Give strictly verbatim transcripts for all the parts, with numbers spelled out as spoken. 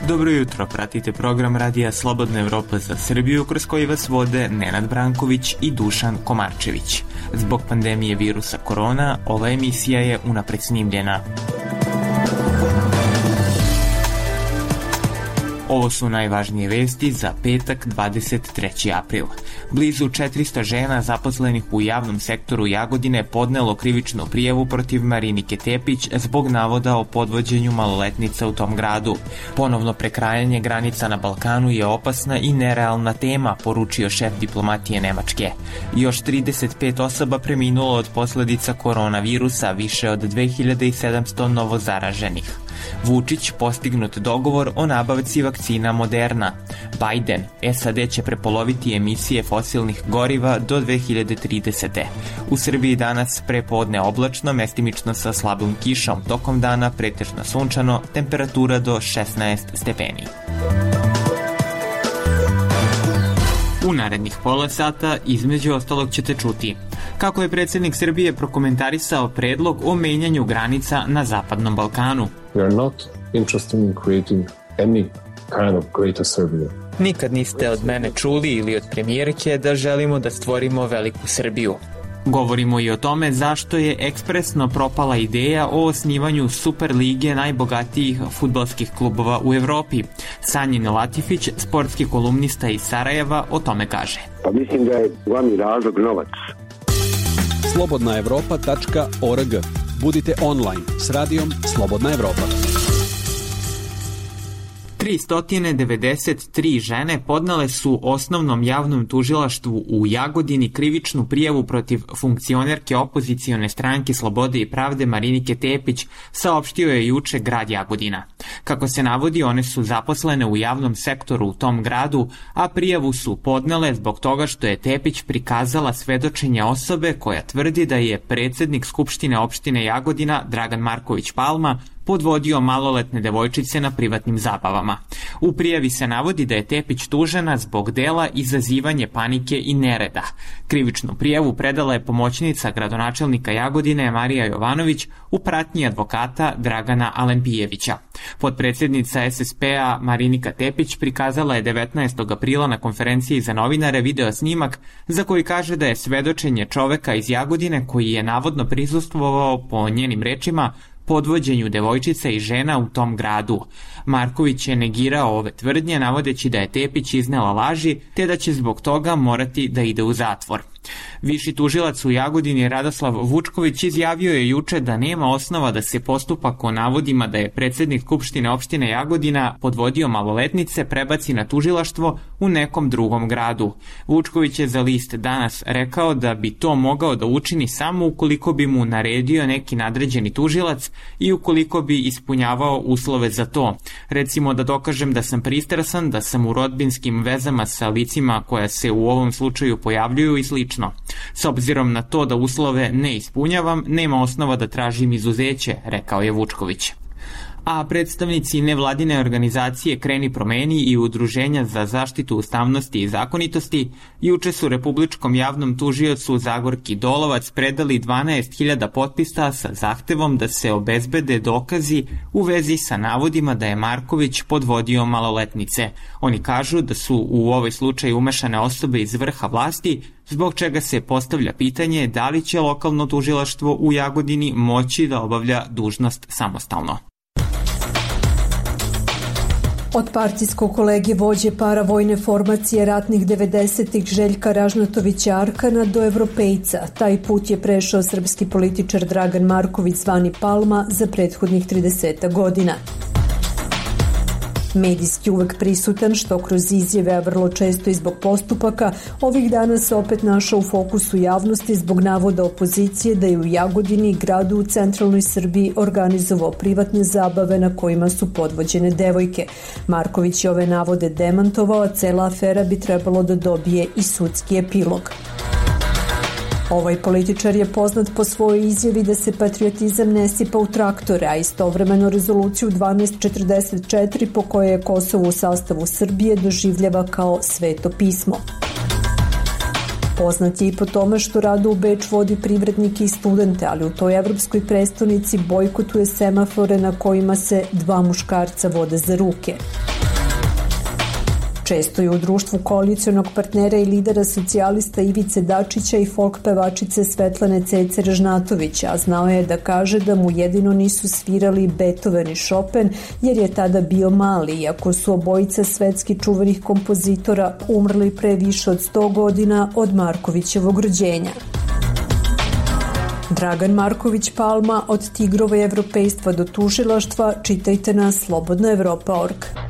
Dobro jutro, pratite program Radija Slobodna Evropa za Srbiju, kroz koji vas vode Nenad Branković i Dušan Komarčević. Zbog pandemije virusa korona, ova emisija je unapred snimljena. Ovo su najvažnije vesti za petak, dvadeset treći april. Blizu četiristo žena zaposlenih u javnom sektoru Jagodine podnelo krivičnu prijavu protiv Marinike Tepić zbog navoda o podvođenju maloletnica u tom gradu. Ponovno prekrajanje granica na Balkanu je opasna i nerealna tema, poručio šef diplomatije Nemačke. Još trideset pet osoba preminulo od posledica koronavirusa, više od dve hiljade sedamsto novozaraženih. Vučić postignut dogovor o nabavci vakcina Moderna. Biden, S A D će prepoloviti emisije fosilnih goriva do dve hiljade tridesete. U Srbiji danas prepodne oblačno, mestimično sa slabom kišom, tokom dana pretežno sunčano, temperatura do šesnaest stepeni. U narednih pola sata između ostalog ćete čuti kako je predsjednik Srbije prokomentarisao predlog o menjanju granica na Zapadnom Balkanu. We are not interested in creating any kind of greater Serbia. Nikad niste od mene čuli ili od premijerke da želimo da stvorimo veliku Srbiju. Govorimo i o tome zašto je ekspresno propala ideja o osnivanju Super lige najbogatijih fudbalskih klubova u Evropi. Sanjin Latifić, sportski kolumnista iz Sarajeva, o tome kaže. Pa mislim da je glavni razlog novac. slobodna evropa tačka org. Budite online s radijom Slobodna Evropa. tristo devedeset tri žene podnele su osnovnom javnom tužilaštvu u Jagodini krivičnu prijavu protiv funkcionerke opozicione stranke Slobode i pravde Marinike Tepić, saopštio je juče grad Jagodina. Kako se navodi, one su zaposlene u javnom sektoru u tom gradu, a prijavu su podnele zbog toga što je Tepić prikazala svedočenje osobe koja tvrdi da je predsjednik Skupštine opštine Jagodina Dragan Marković Palma podvodio maloletne devojčice na privatnim zabavama. U prijavi se navodi da je Tepić tužena zbog dela izazivanje panike i nereda. Krivičnu prijavu predala je pomoćnica gradonačelnika Jagodine Marija Jovanović u pratnji advokata Dragana Alempijevića. Potpredsjednica S S P-a Marinika Tepić prikazala je devetnaestog aprila na konferenciji za novinare video snimak za koji kaže da je svedočenje čoveka iz Jagodine koji je navodno prisustvovao, po njenim rečima, podvođenju devojčica i žena u tom gradu. Marković je negirao ove tvrdnje, navodeći da je Tepić iznela laži, te da će zbog toga morati da ide u zatvor. Viši tužilac u Jagodini Radoslav Vučković izjavio je juče da nema osnova da se postupak o navodima da je predsjednik Skupštine opštine Jagodina podvodio maloletnice prebaci na tužilaštvo u nekom drugom gradu. Vučković je za list Danas rekao da bi to mogao da učini samo ukoliko bi mu naredio neki nadređeni tužilac i ukoliko bi ispunjavao uslove za to. Recimo da dokažem da sam pristrasan, da sam u rodbinskim vezama sa licima koja se u ovom slučaju pojavljuju i slično. S obzirom na to da uslove ne ispunjavam, nema osnova da tražim izuzeće, rekao je Vučković. A predstavnici nevladine organizacije Kreni promeni i Udruženja za zaštitu ustavnosti i zakonitosti juče su Republičkom javnom tužiocu Zagorki Dolovac predali dvanaest hiljada potpisa sa zahtevom da se obezbede dokazi u vezi sa navodima da je Marković podvodio maloletnice. Oni kažu da su u ovaj slučaj umešane osobe iz vrha vlasti, zbog čega se postavlja pitanje da li će lokalno tužilaštvo u Jagodini moći da obavlja dužnost samostalno. Od partijskog kolege vođe paravojne formacije ratnih devedesetih Željka Ražnatovića Arkana do evropejca. Taj put je prešao srpski političar Dragan Marković zvani Palma za prethodnih trideset godina. Medijski uvek prisutan, što kroz izjave, a vrlo često i zbog postupaka, ovih dana se opet našao u fokusu javnosti zbog navoda opozicije da je u Jagodini, gradu u centralnoj Srbiji, organizovao privatne zabave na kojima su podvođene devojke. Marković je ove navode demantovao, a cela afera bi trebalo da dobije i sudski epilog. Ovaj političar je poznat po svojoj izjavi da se patriotizam ne sipa u traktore, a istovremeno rezoluciju dvanaest četrdeset četiri po kojoj je Kosovo u sastavu Srbije doživljava kao sveto pismo. Poznat je i po tome što rado u Beč vodi privrednike i studente, ali u toj evropskoj prestonici bojkotuje semafore na kojima se dva muškarca vode za ruke. Često je u društvu koalicionog partnera i lidera socijalista Ivice Dačića i folk pevačice Svetlane Cece Ražnatovića, a znao je da kaže da mu jedino nisu svirali Beethoven i Chopin jer je tada bio mali, iako su obojica svetski čuvenih kompozitora umrli pre više od sto godina od Markovićevog rođenja. Dragan Marković Palma, od tigrova evropejstva do tužilaštva, čitajte na slobodna evropa tačka org.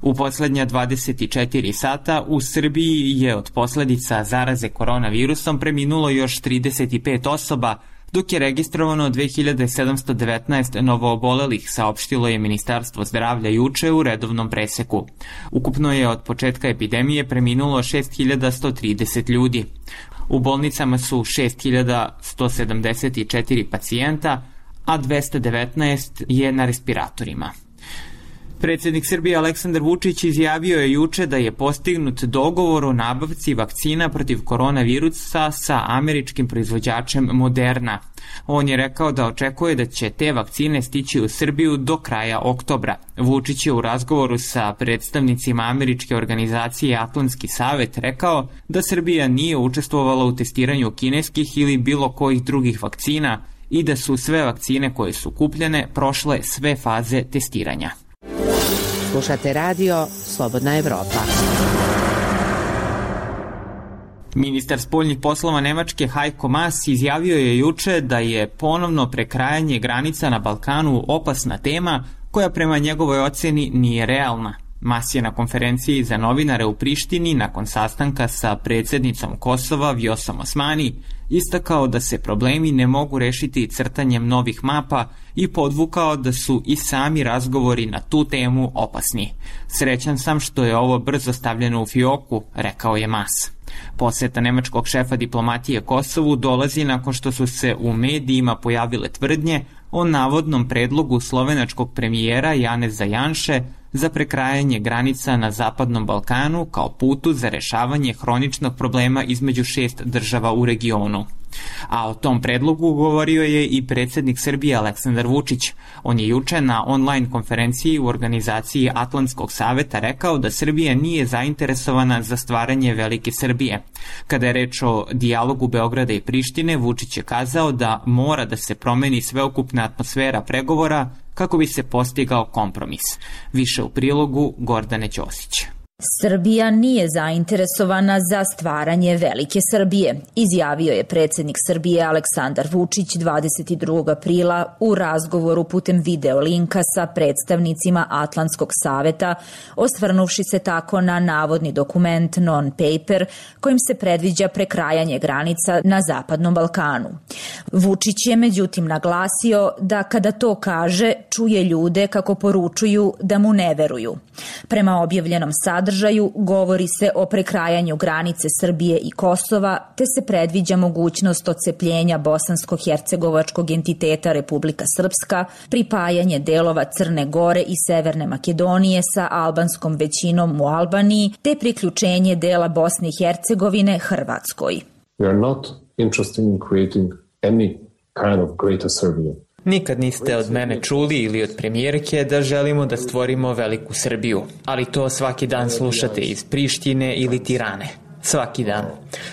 U poslednja dvadeset četiri sata u Srbiji je od posledica zaraze koronavirusom preminulo još trideset pet osoba, dok je registrovano dve hiljade sedamsto devetnaest novoobolelih, saopštilo je Ministarstvo zdravlja juče u redovnom preseku. Ukupno je od početka epidemije preminulo šest hiljada sto trideset ljudi. U bolnicama su šest hiljada sto sedamdeset četiri pacijenta, a dvesta devetnaest je na respiratorima. Predsednik Srbije Aleksandar Vučić izjavio je juče da je postignut dogovor o nabavci vakcina protiv koronavirusa sa američkim proizvođačem Moderna. On je rekao da očekuje da će te vakcine stići u Srbiju do kraja oktobra. Vučić je u razgovoru sa predstavnicima američke organizacije Atlantski savet rekao da Srbija nije učestvovala u testiranju kineskih ili bilo kojih drugih vakcina i da su sve vakcine koje su kupljene prošle sve faze testiranja. Slušate radio Slobodna Evropa. Ministar spoljnih poslova Nemačke Heiko Maas izjavio je juče da je ponovno prekrajanje granica na Balkanu opasna tema koja prema njegovoj oceni nije realna. Maas je na konferenciji za novinare u Prištini nakon sastanka sa predsjednicom Kosova Vjosom Osmani istakao da se problemi ne mogu rešiti crtanjem novih mapa i podvukao da su i sami razgovori na tu temu opasni. Srećan sam što je ovo brzo stavljeno u fioku, rekao je Maas. Poseta nemačkog šefa diplomatije Kosovu dolazi nakon što su se u medijima pojavile tvrdnje o navodnom predlogu slovenačkog premijera Janeza Janše za prekrajanje granica na Zapadnom Balkanu kao putu za rešavanje hroničnog problema između šest država u regionu. A o tom predlogu govorio je i predsednik Srbije Aleksandar Vučić. On je juče na online konferenciji u organizaciji Atlantskog saveta rekao da Srbija nije zainteresovana za stvaranje Velike Srbije. Kada je reč o dijalogu Beograda i Prištine, Vučić je kazao da mora da se promeni sveukupna atmosfera pregovora kako bi se postigao kompromis. Više u prilogu Gordane Ćosić. Srbija nije zainteresovana za stvaranje Velike Srbije, izjavio je predsednik Srbije Aleksandar Vučić dvadeset drugog aprila u razgovoru putem video linka sa predstavnicima Atlantskog saveta, osvrnuvši se tako na navodni dokument non-paper kojim se predviđa prekrajanje granica na Zapadnom Balkanu. Vučić je međutim naglasio da kada to kaže, čuje ljude kako poručuju da mu ne veruju. Prema objavljenom sadržaju sadržaju govori se o prekrajanju granice Srbije i Kosova, te se predviđa mogućnost odcepljenja bosansko-hercegovačkog entiteta Republika Srpska, pripajanje delova Crne Gore i Severne Makedonije sa albanskom većinom u Albaniji, te priključenje dela Bosne i Hercegovine Hrvatskoj. We are not interested in creating any kind of greater Serbia. Nikad niste od mene čuli ili od premijerke da želimo da stvorimo veliku Srbiju, ali to svaki dan slušate iz Prištine ili Tirane. Svaki dan.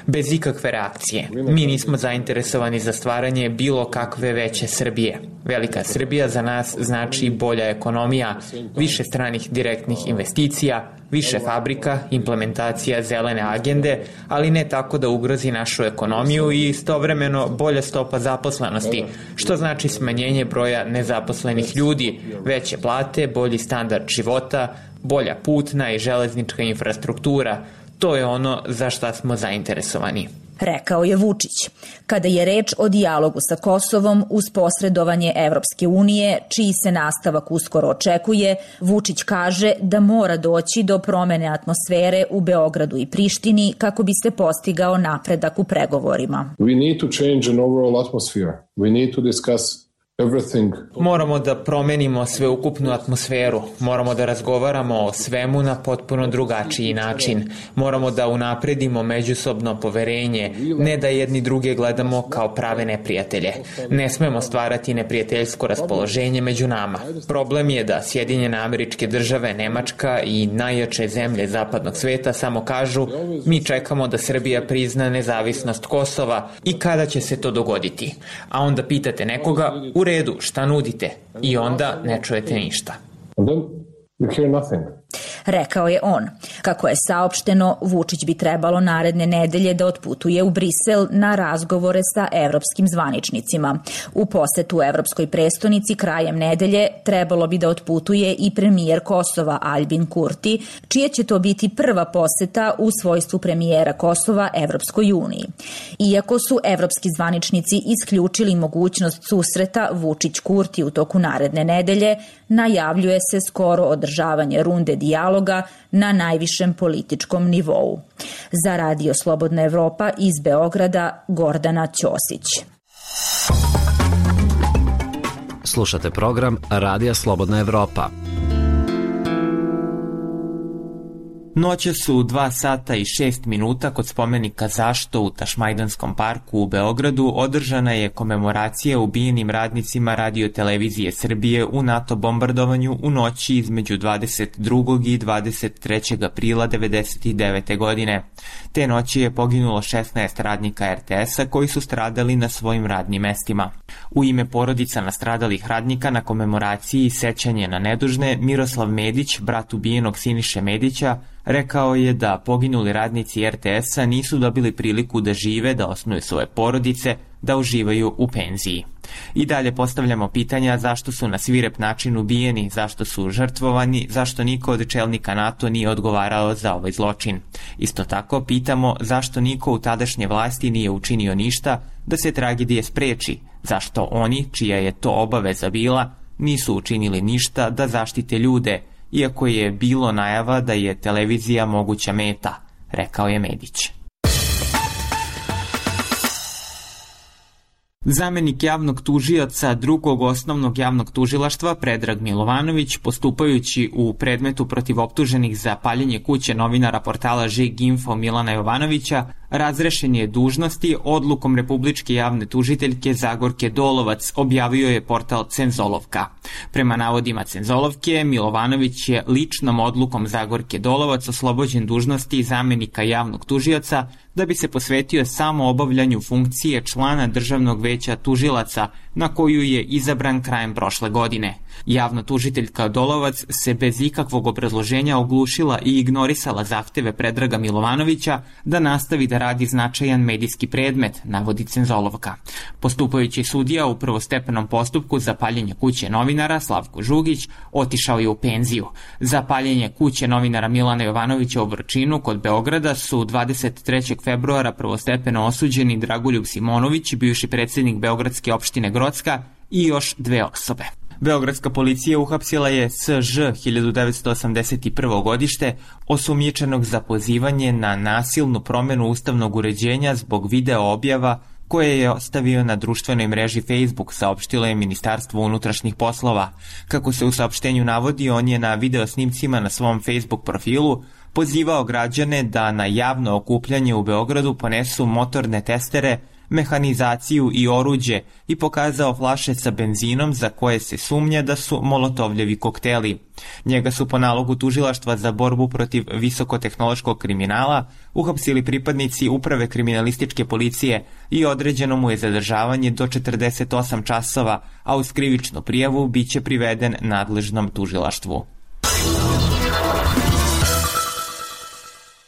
Bez ikakve reakcije. Mi nismo zainteresovani za stvaranje bilo kakve veće Srbije. Velika Srbija za nas znači bolja ekonomija, više stranih direktnih investicija, više fabrika, implementacija zelene agende, ali ne tako da ugrozi našu ekonomiju i istovremeno bolja stopa zaposlenosti, što znači smanjenje broja nezaposlenih ljudi, veće plate, bolji standard života, bolja putna i železnička infrastruktura. To je ono za šta smo zainteresovani. Rekao je Vučić. Kada je reč o dijalogu sa Kosovom uz posredovanje Evropske unije, čiji se nastavak uskoro očekuje, Vučić kaže da mora doći do promene atmosfere u Beogradu i Prištini kako bi se postigao napredak u pregovorima. We need to change an overall atmosphere. We need to discuss everything. Moramo da promenimo sveukupnu atmosferu, moramo da razgovaramo o svemu na potpuno drugačiji način, moramo da unapredimo međusobno poverenje, ne da jedni druge gledamo kao prave neprijatelje. Ne smemo stvarati neprijateljsko raspoloženje među nama. Problem je da Sjedinjene Američke Države, Nemačka i najjače zemlje zapadnog sveta samo kažu mi čekamo da Srbija prizna nezavisnost Kosova i kada će se to dogoditi. A onda pitate nekoga, u redu, šta nudite? I onda ne čujete ništa. And then you hear nothing. Rekao je on. Kako je saopšteno, Vučić bi trebalo naredne nedelje da otputuje u Brisel na razgovore sa evropskim zvaničnicima. U posetu evropskoj prestonici krajem nedelje trebalo bi da otputuje i premijer Kosova Aljbin Kurti, čija će to biti prva poseta u svojstvu premijera Kosova Evropskoj uniji. Iako su evropski zvaničnici isključili mogućnost susreta Vučić-Kurti u toku naredne nedelje, najavljuje se skoro održavanje runde dijaloga na najvišem političkom nivou. Za Radio Slobodna Evropa iz Beograda, Gordana Ćosić. Slušate program Radija Slobodna Evropa. Noće su dva sata i šest minuta kod spomenika Zašto u Tašmajdanskom parku u Beogradu održana je komemoracija ubijenim radnicima Radio-televizije Srbije u NATO bombardovanju u noći između dvadeset drugog i dvadeset trećeg aprila devedeset devete. godine. Te noći je poginulo šesnaest radnika er te esa koji su stradali na svojim radnim mestima. U ime porodica nastradalih radnika na komemoraciji sećanje na nedužne, Miroslav Medić, brat ubijenog Siniše Medića, rekao je da poginuli radnici er te esa nisu dobili priliku da žive, da osnuju svoje porodice, da uživaju u penziji. I dalje postavljamo pitanja zašto su na svirep način ubijeni, zašto su žrtvovani, zašto niko od čelnika NATO nije odgovarao za ovaj zločin. Isto tako pitamo zašto niko u tadašnje vlasti nije učinio ništa da se tragedije spreči, zašto oni, čija je to obaveza bila, nisu učinili ništa da zaštite ljude, iako je bilo najava da je televizija moguća meta, rekao je Medić. Zamenik javnog tužioca drugog osnovnog javnog tužilaštva Predrag Milovanović, postupajući u predmetu protiv optuženih za paljenje kuće novinara portala Žig Info Milana Jovanovića, razrešen je dužnosti odlukom Republičke javne tužiteljke Zagorke Dolovac, objavio je portal Cenzolovka. Prema navodima Cenzolovke, Milovanović je ličnom odlukom Zagorke Dolovac oslobođen dužnosti zamenika javnog tužioca da bi se posvetio samo obavljanju funkcije člana Državnog veća tužilaca na koju je izabran krajem prošle godine. Javna tužiteljka Dolovac se bez ikakvog obrazloženja oglušila i ignorisala zahteve Predraga Milovanovića da nastavi da radi značajan medijski predmet, navodi Cenzolovka. Postupajući sudija u prvostepenom postupku za paljenje kuće novinara Slavko Žugić otišao je u penziju. Za paljenje kuće novinara Milana Jovanovića u Vrčinu kod Beograda su dvadeset trećeg februara prvostepeno osuđeni Dragoljub Simonović, bivši predsjednik Beogradske opštine Grocka, i još dve osobe. Beogradska policija uhapsila je S Ž hiljadu devetsto osamdeset prvo. godište, osumnjičenog za pozivanje na nasilnu promenu ustavnog uređenja zbog video objava koje je ostavio na društvenoj mreži Facebook, saopštilo je Ministarstvo unutrašnjih poslova. Kako se u saopštenju navodi, on je na video snimcima na svom Facebook profilu pozivao građane da na javno okupljanje u Beogradu ponesu motorne testere, mehanizaciju i oruđe i pokazao flaše sa benzinom za koje se sumnja da su molotovljevi kokteli. Njega su po nalogu tužilaštva za borbu protiv visokotehnološkog kriminala uhapsili pripadnici Uprave kriminalističke policije i određeno mu je zadržavanje do četrdeset osam časova, a uz krivičnu prijavu biće priveden nadležnom tužilaštvu.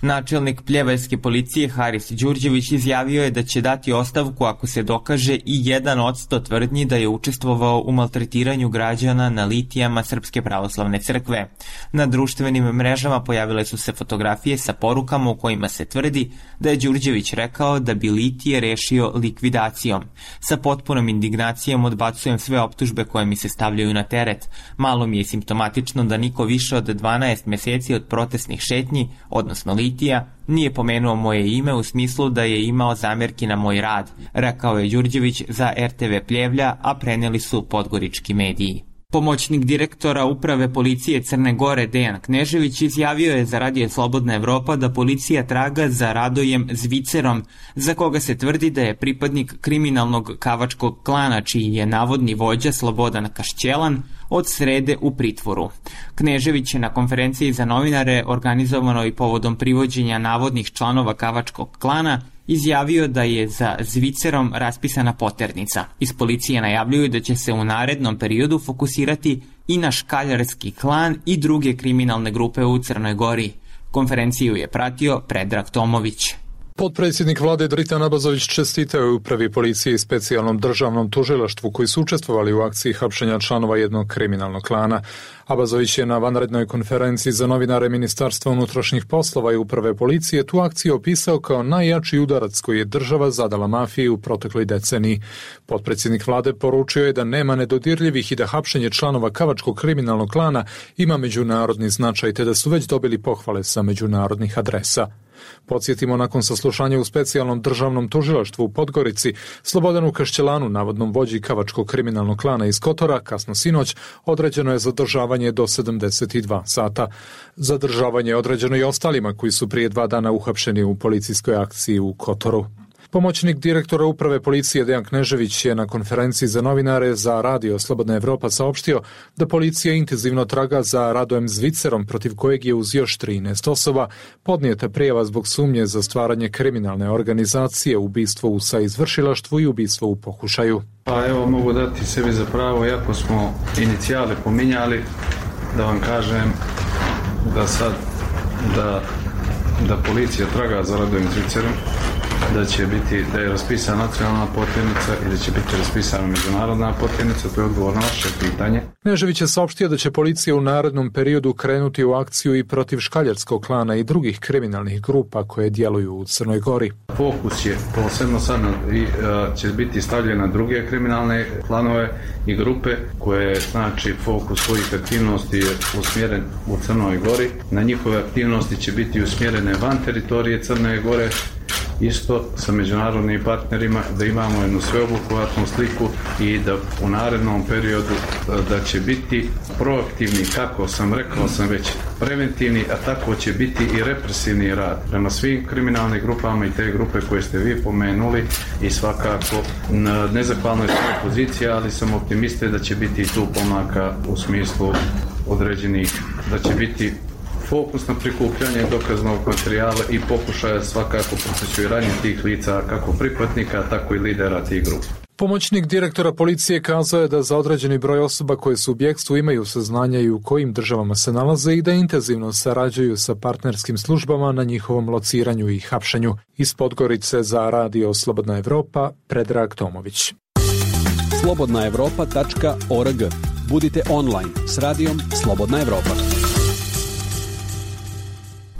Načelnik Pljevaljske policije Haris Đurđević izjavio je da će dati ostavku ako se dokaže i jedan od sto tvrdnji da je učestvovao u maltretiranju građana na litijama Srpske pravoslavne crkve. Na društvenim mrežama pojavile su se fotografije sa porukama u kojima se tvrdi da je Đurđević rekao da bi litije rešio likvidacijom. Sa potpunom indignacijom odbacujem sve optužbe koje mi se stavljaju na teret. Malo mi je simptomatično da niko više od dvanaest meseci od protestnih šetnji, odnosno litija, Mitija nije pomenuo moje ime u smislu da je imao zamerki na moj rad, rekao je Đurđević za er te ve Pljevlja, a preneli su podgorički mediji. Pomoćnik direktora Uprave policije Crne Gore Dejan Knežević izjavio je za Radio Slobodna Evropa da policija traga za Radojem Zvicerom, za koga se tvrdi da je pripadnik kriminalnog kavačkog klana, čiji je navodni vođa Slobodan Kašćelan od srede u pritvoru. Knežević je na konferenciji za novinare, organizovanoj povodom privođenja navodnih članova kavačkog klana, izjavio da je za Zvicerom raspisana poternica. Iz policije najavljuju da će se u narednom periodu fokusirati i na škaljarski klan i druge kriminalne grupe u Crnoj Gori. Konferenciju je pratio Predrag Tomović. Potpredsjednik vlade Dritan Abazović čestitao je upravi policije i specijalnom državnom tužilaštvu koji su učestvovali u akciji hapšenja članova jednog kriminalnog klana. Abazović je na vanrednoj konferenciji za novinare Ministarstva unutrašnjih poslova i uprave policije tu akciju opisao kao najjači udarac koji je država zadala mafiji u protekloj deceniji. Potpredsjednik vlade poručio je da nema nedodirljivih i da hapšenje članova kavačkog kriminalnog klana ima međunarodni značaj te da su već dobili pohvale sa međunarodnih adresa. Podsjetimo, nakon saslušanja u specijalnom državnom tužilaštvu u Podgorici, Slobodanu Kašćelanu, navodnom vođi kavačkog kriminalnog klana iz Kotora, kasno sinoć, određeno je zadržavanje do sedamdeset dva sata. Zadržavanje je određeno i ostalima koji su prije dva dana uhapšeni u policijskoj akciji u Kotoru. Pomoćnik direktora Uprave policije Dejan Knežević je na konferenciji za novinare za Radio Slobodna Evropa saopštio da policija intenzivno traga za Radojem Zvicerom, protiv kojeg je uz još trinaest osoba podnijeta prijava zbog sumnje za stvaranje kriminalne organizacije, ubistvo u saizvršilaštvu i ubistvo u pokušaju. Pa evo, mogu dati sebi za pravo, iako smo inicijale pominjali, da vam kažem da sad da, da policija traga za Radojem Zvicerom, da će biti, da je raspisana nacionalna poternica i da će biti raspisana međunarodna poternica, to je odgovor na vaše pitanje. Knežević je saopštio da će policija u narednom periodu krenuti u akciju i protiv škaljarskog klana i drugih kriminalnih grupa koje djeluju u Crnoj Gori. Fokus je posebno sad i, uh, će biti stavljen na druge kriminalne klanove i grupe koje, znači, fokus svojih aktivnosti je usmjeren u Crnoj Gori. Na njihove aktivnosti će biti usmjerene van teritorije Crne Gore, isto sa međunarodnim partnerima, da imamo jednu sveobuhvatnu sliku i da u narednom periodu da će biti proaktivni, kako sam rekao sam već, preventivni, a tako će biti i represivni rad prema svim kriminalnim grupama i te grupe koje ste vi pomenuli i svakako na nezahvalnoj svojoj poziciji, ali sam optimista da će biti i tu pomaka u smislu određenih, da će biti fokus na prikupljanje dokaznog materijala i pokušaja svakako procesuiranje tih lica, kako pripadnika, tako i lidera tih grupa. Pomoćnik direktora policije kazao je da za određeni broj osoba koje su u bjegstvu imaju saznanja i u kojim državama se nalaze i da intenzivno sarađuju sa partnerskim službama na njihovom lociranju i hapšenju. Iz Podgorice za Radio Slobodna Evropa, Predrag Tomović. slobodna evropa tačka org. Budite online s Radijom Slobodna Evropa.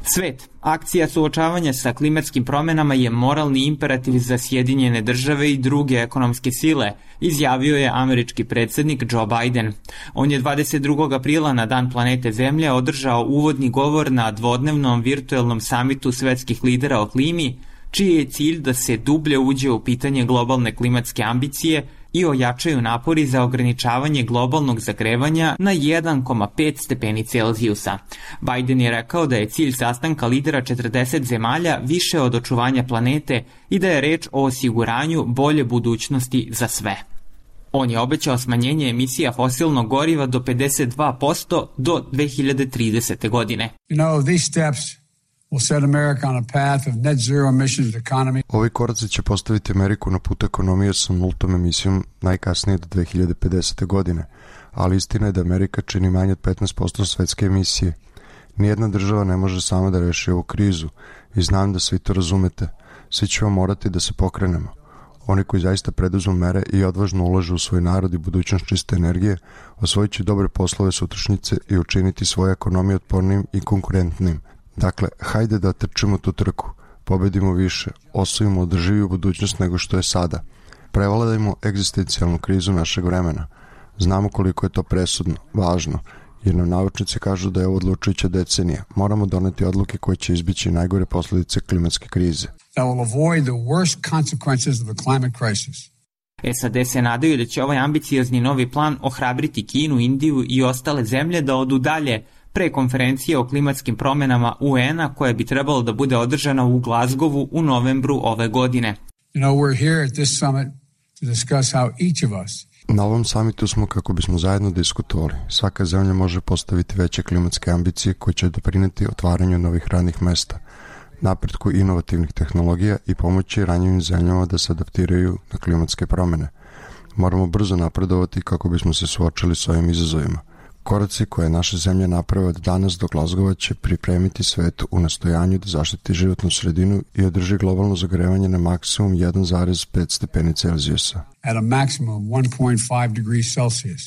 Svet. Akcija suočavanja sa klimatskim promjenama je moralni imperativ za Sjedinjene države i druge ekonomske sile, izjavio je američki predsjednik Joe Biden. On je dvadeset drugog aprila na Dan planete Zemlje održao uvodni govor na dvodnevnom virtuelnom samitu svetskih lidera o klimi, čiji je cilj da se dublje uđe u pitanje globalne klimatske ambicije i ojačaju napori za ograničavanje globalnog zagrevanja na jedan zarez pet stepeni Celzijusa. Biden je rekao da je cilj sastanka lidera četrdeset zemalja više od očuvanja planete i da je reč o osiguranju bolje budućnosti za sve. On je obećao smanjenje emisija fosilnog goriva do pedeset dva posto do dve hiljade tridesete. godine. You know, these steps will set America on a path of net zero emissions economy. Ovi koraci će postaviti Ameriku na put ekonomije sa nultom emisijom najkasnije do dve hiljade pedesete. godine, ali istina je da Amerika čini manje od petnaest posto svetske emisije. Nijedna država ne može sama da reši ovu krizu i znam da svi to razumete. Svi ćemo morati da se pokrenemo. Oni koji zaista preduzmu mere i odvažno ulažu u svoj narod i budućnost čiste energije, osvojit će dobre poslove sutrašnjice i učiniti svoju ekonomiju otpornim i konkurentnim. Dakle, hajde da trčimo tu trku, pobedimo više, osvojimo održiviju budućnost nego što je sada. Prevladajmo egzistencijalnu krizu našeg vremena. Znamo koliko je to presudno, važno jer nam naučnici kažu da je ovo odlučujuća decenija. Moramo doneti odluke koje će izbići najgore posledice klimatske krize. That will avoid the worst consequences of the climate crisis. S A D se nadaju da će ovaj ambiciozni novi plan ohrabriti Kinu, Indiju i ostale zemlje da odu dalje pre konferencije o klimatskim promenama U N-a koja bi trebalo da bude održana u Glazgovu u novembru ove godine. You know, we're here at this summit to discuss how each of us Na ovom samitu smo kako bismo zajedno diskutovali. Svaka zemlja može postaviti veće klimatske ambicije koje će doprineti otvaranju novih radnih mesta, napretku inovativnih tehnologija i pomoći ranjivim zemljama da se adaptiraju na klimatske promene. Moramo brzo napredovati kako bismo se suočili s ovim izazovima. Koraci koje naše zemlje naprave od danas do Glazgova će pripremiti svet u nastojanju da zaštiti životnu sredinu i održi globalno zagrevanje na maksimum jedan zarez pet stepeni Celzijusa. At a maximum one point five degrees Celsius.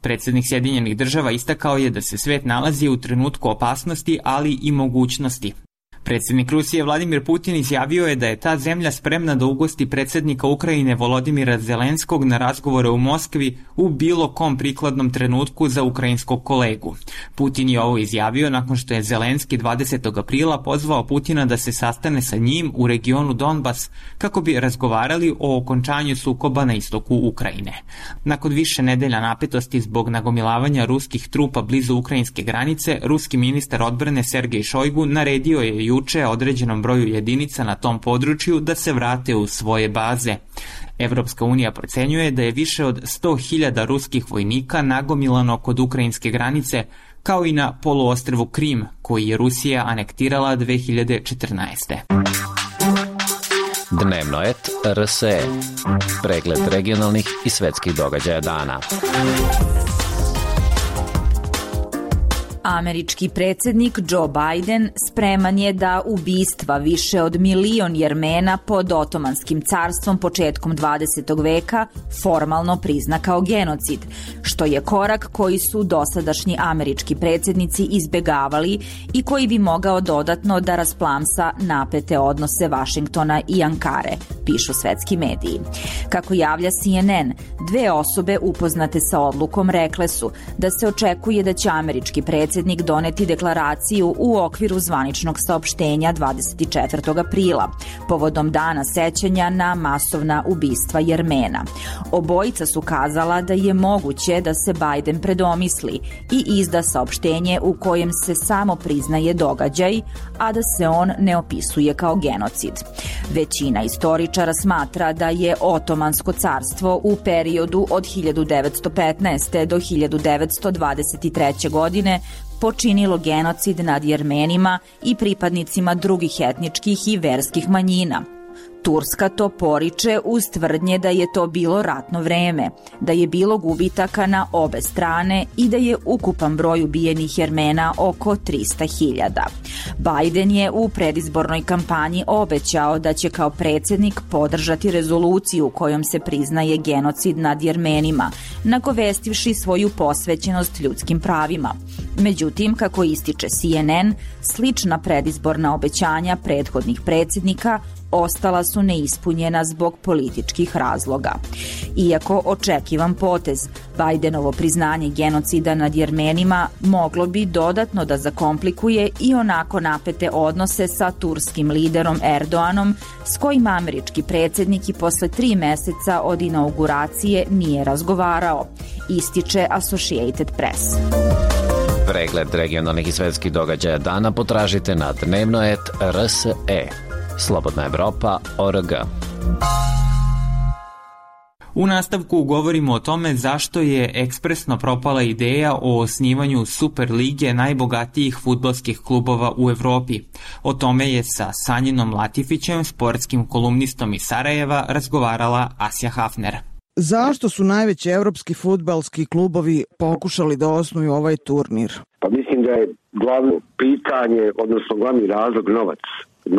Predsjednik Sjedinjenih država istakao je da se svet nalazi u trenutku opasnosti, ali i mogućnosti. Predsjednik Rusije Vladimir Putin izjavio je da je ta zemlja spremna da ugosti predsjednika Ukrajine Volodimira Zelenskog na razgovore u Moskvi u bilo kom prikladnom trenutku za ukrajinskog kolegu. Putin je ovo izjavio nakon što je Zelenski dvadesetog aprila pozvao Putina da se sastane sa njim u regionu Donbas kako bi razgovarali o okončanju sukoba na istoku Ukrajine. Nakon više nedelja napetosti zbog nagomilavanja ruskih trupa blizu ukrajinske granice, ruski ministar odbrane Sergej Šojgu naredio je juče određenom broju jedinica na tom području da se vrate u svoje baze. Evropska unija procenjuje da je više od sto hiljada ruskih vojnika nagomilano kod ukrajinske granice, kao i na poluostrvu Krim, koji je Rusija anektirala dve hiljade četrnaeste. Dnevno et R S E. Pregled regionalnih i svetskih događaja dana. Američki predsjednik Joe Biden spreman je da ubistva više od milion Jermena pod Otomanskim carstvom početkom dvadesetog veka formalno prizna kao genocid, što je korak koji su dosadašnji američki predsjednici izbegavali i koji bi mogao dodatno da rasplamsa napete odnose Vašingtona i Ankare, pišu svetski mediji. Kako javlja C N N, dve osobe upoznate sa odlukom rekle su da se očekuje da će američki predsjednik doneti deklaraciju u okviru zvaničnog saopštenja dvadeset četvrtog aprila, povodom dana sećanja na masovna ubistva Jermena. Obojica su kazala da je moguće da se Biden predomisli i izda saopštenje u kojem se samo priznaje događaj, a da se on ne opisuje kao genocid. Većina istoričara smatra da je Otomansko carstvo u periodu od hiljadu devetsto petnaeste. do hiljadu devetsto dvadeset treće. godine počinilo genocid nad Jermenima i pripadnicima drugih etničkih i verskih manjina. Turska to poriče uz tvrdnje da je to bilo ratno vreme, da je bilo gubitaka na obe strane i da je ukupan broj ubijenih Jermena oko trista hiljada. Biden je u predizbornoj kampanji obećao da će kao predsjednik podržati rezoluciju kojom se priznaje genocid nad Jermenima, nagovestivši svoju posvećenost ljudskim pravima. Međutim, kako ističe C N N, slična predizborna obećanja prethodnih predsjednika ostala su neispunjena zbog političkih razloga. Iako očekivan potez, Bidenovo priznanje genocida nad Jermenima moglo bi dodatno da zakomplikuje i onako napete odnose sa turskim liderom Erdoganom, s kojim američki predsjednik i posle tri meseca od inauguracije nije razgovarao, ističe Associated Press. Pregled regionalnih i svetskih događaja dana potražite na dnevno et R S E. Slobodna Evropa, O R G. U nastavku govorimo o tome zašto je ekspresno propala ideja o osnivanju Super lige najbogatijih fudbalskih klubova u Evropi. O tome je sa Sanjinom Latifićem, sportskim kolumnistom iz Sarajeva, razgovarala Asja Hafner. Zašto su najveći evropski fudbalski klubovi pokušali da osnuju ovaj turnir? Pa mislim da je glavno pitanje, odnosno glavni razlog novac.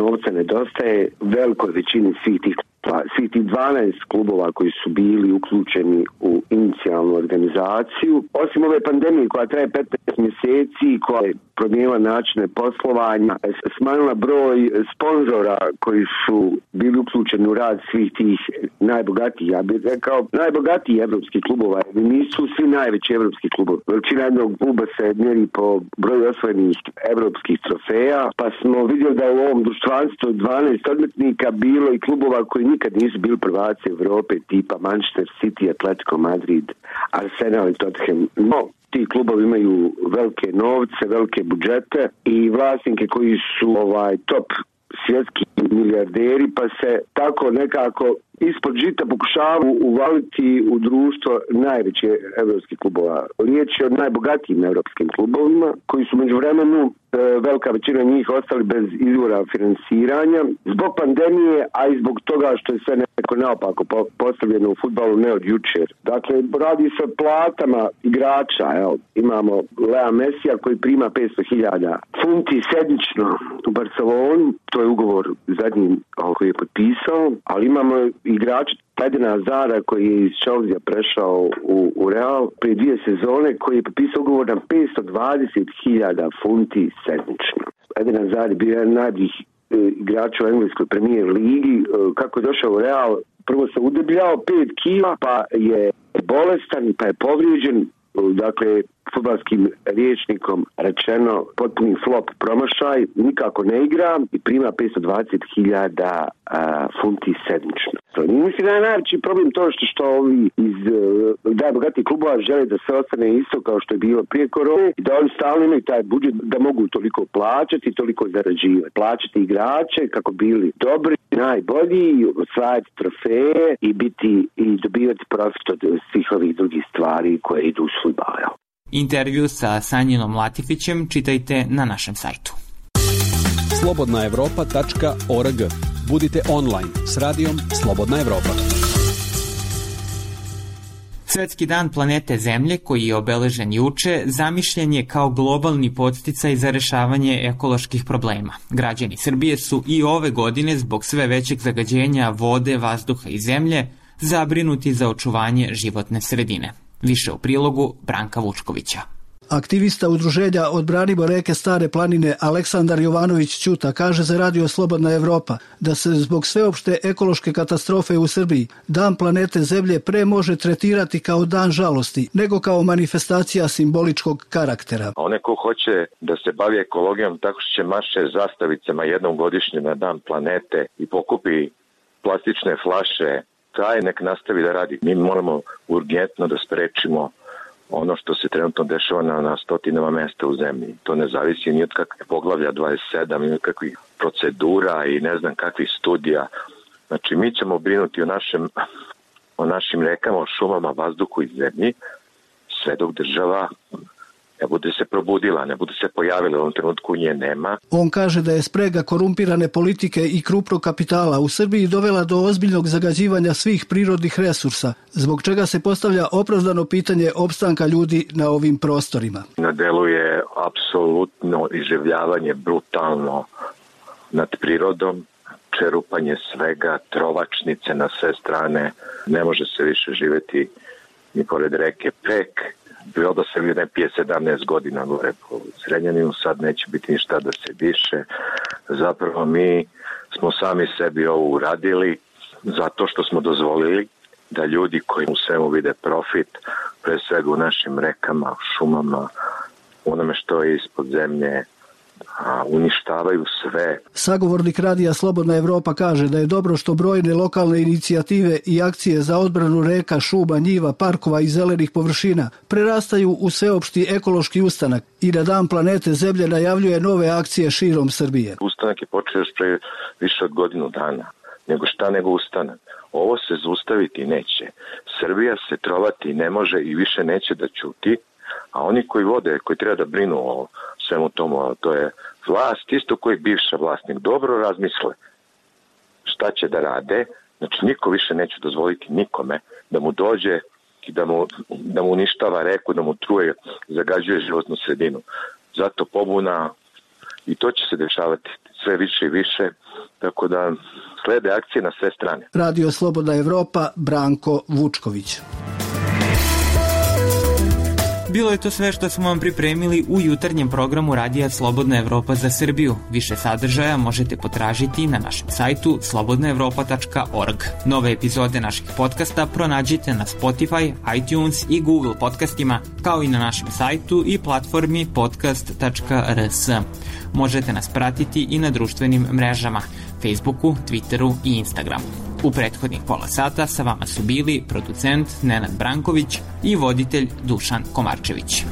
Novca nedostaje velikoj većini svih tih rukovodstva svih tih dvanaest klubova koji su bili uključeni u inicijalnu organizaciju. Osim ove pandemije koja traje petnaest mjeseci, koja je promijenila načine poslovanja, smanjila broj sponzora koji su bili uključeni u rad svih tih najbogatijih, ja bih rekao, najbogatijih evropskih klubova. Nisu svi najveći evropski klubovi. Veličina jednog kluba se mjeri po broju osvojenih evropskih trofeja, pa smo vidjeli da u ovom društvanstvu dvanaest odmetnika bilo i klubova koji nikad nisu bili prvaci Evrope, tipa Manchester City, Atletico Madrid, Arsenal i Tottenham. No, ti klubovi imaju velike novce, velike budžete i vlasnike koji su ovaj top svjetski milijarderi, pa se tako nekako ispod žita pokušavaju uvaliti u društvo najveće evropskih klubova. Riječ je o najbogatijim evropskim klubovima koji su međuvremenu velika većina njih ostali bez izvora finansiranja zbog pandemije, a i zbog toga što je sve nekako naopako postavljeno u fudbalu ne od jučer. Dakle, radi se o platama igrača. Evo, imamo Lea Messija koji prima petsto hiljada funti sedmično u Barcelonu, to je ugovor zadnji koji je potpisao, ali imamo igrača Edena Hazarda koji je iz Chelsea prešao u, u Real prije dvije sezone, koji je potpisao ugovor na petsto dvadeset hiljada funti sedmično. Eden Hazard je bio jedan najboljih e, igrača u engleskoj premijer ligi. E, kako je došao u Real, prvo se udebljao pet kila, pa je bolestan, pa je povrijeđen. Dakle, fudbalskim rječnikom rečeno potpuni flop, promašaj, nikako ne igra i prima petsto dvadeset hiljada funti sedmično. Mislim da je najveći problem to što, što ovi iz najbogatijih klubova žele da se ostane isto kao što je bilo prije korone i da oni stalno imaju taj budžet da mogu toliko plaćati, toliko zarađivati. Plaćati igrače kako bili dobri, najbolji, osvajati trofeje i biti i dobivati profit od svih ovih drugih stvari koje idu u fudbal. Intervju sa Sanjinom Latifićem čitajte na našem sajtu. slobodna evropa tačka org. Budite online s radijom Slobodna Evropa. Svetski dan planete Zemlje, koji je obeležen juče, zamišljen je kao globalni podsticaj za rešavanje ekoloških problema. Građani Srbije su i ove godine, zbog sve većeg zagađenja vode, vazduha i zemlje, zabrinuti za očuvanje životne sredine. Više u prilogu Branka Vučkovića. Aktivista udruženja Odbranimo reke Stare planine Aleksandar Jovanović Ćuta kaže za Radio Slobodna Evropa da se zbog sveopšte ekološke katastrofe u Srbiji Dan planete Zemlje pre može tretirati kao dan žalosti nego kao manifestacija simboličkog karaktera. One ko hoće da se bavi ekologijom tako što će maše zastavicama jednom godišnje na Dan planete i pokupi plastične flaše, taj nek nastavi da radi. Mi moramo urgentno da sprečimo ono što se trenutno dešava na, na stotinama mesta u zemlji. To ne zavisi ni od kakvih poglavlja dvadeset sedam, ni od kakvih procedura i ne znam kakvih studija. Znači, mi ćemo brinuti o, našem, o našim rekama, o šumama, vazduhu i zemlji, sve dok država ne bude se probudila, ne bude se pojavila, u ovom trenutku nje nema. On kaže da je sprega korumpirane politike i krupnog kapitala u Srbiji dovela do ozbiljnog zagađivanja svih prirodnih resursa, zbog čega se postavlja opravdano pitanje opstanka ljudi na ovim prostorima. Na delu je apsolutno iživljavanje brutalno nad prirodom, čerupanje svega, trovačnice na sve strane, ne može se više živjeti ni pored reke Pek. Bilo da se ne pije sedamnaest godina gore po Zrenjaninu, sad neće biti ništa da se diše. Zapravo mi smo sami sebi ovo uradili zato što smo dozvolili da ljudi koji u svemu vide profit, pre svega u našim rekama, šumama, onome što je ispod zemlje, a uništavaju sve. Sagovornik Radija Slobodna Evropa kaže da je dobro što brojne lokalne inicijative i akcije za odbranu reka, šuma, njiva, parkova i zelenih površina prerastaju u sveopšti ekološki ustanak i da Dan planete Zemlje najavljuje nove akcije širom Srbije. Ustanak je počeo još pre više od godinu dana. Nego šta nego ustanak. Ovo se zaustaviti neće. Srbija se trovati ne može i više neće da ćuti, a oni koji vode, koji treba da brinu o svemu tomu, to je vlast, isto koji bivša vlasnik, dobro razmisle šta će da rade. Znači, niko više neće dozvoliti nikome da mu dođe i da mu, da mu uništava reku, da mu truje, zagađuje životnu sredinu. Zato pobuna, i to će se dešavati sve više i više, tako da slede akcije na sve strane. Radio Slobodna Evropa, Branko Vučković. Bilo je to sve što smo vam pripremili u jutarnjem programu Radija Slobodna Evropa za Srbiju. Više sadržaja možete potražiti na našem sajtu slobodna evropa tačka org. Nove epizode naših podcasta pronađite na Spotify, iTunes i Google podcastima, kao i na našem sajtu i platformi podcast tačka r s. Možete nas pratiti i na društvenim mrežama, Facebooku, Twitteru i Instagramu. U prethodnih pola sata sa vama su bili producent Nenad Branković i voditelj Dušan Komarčević.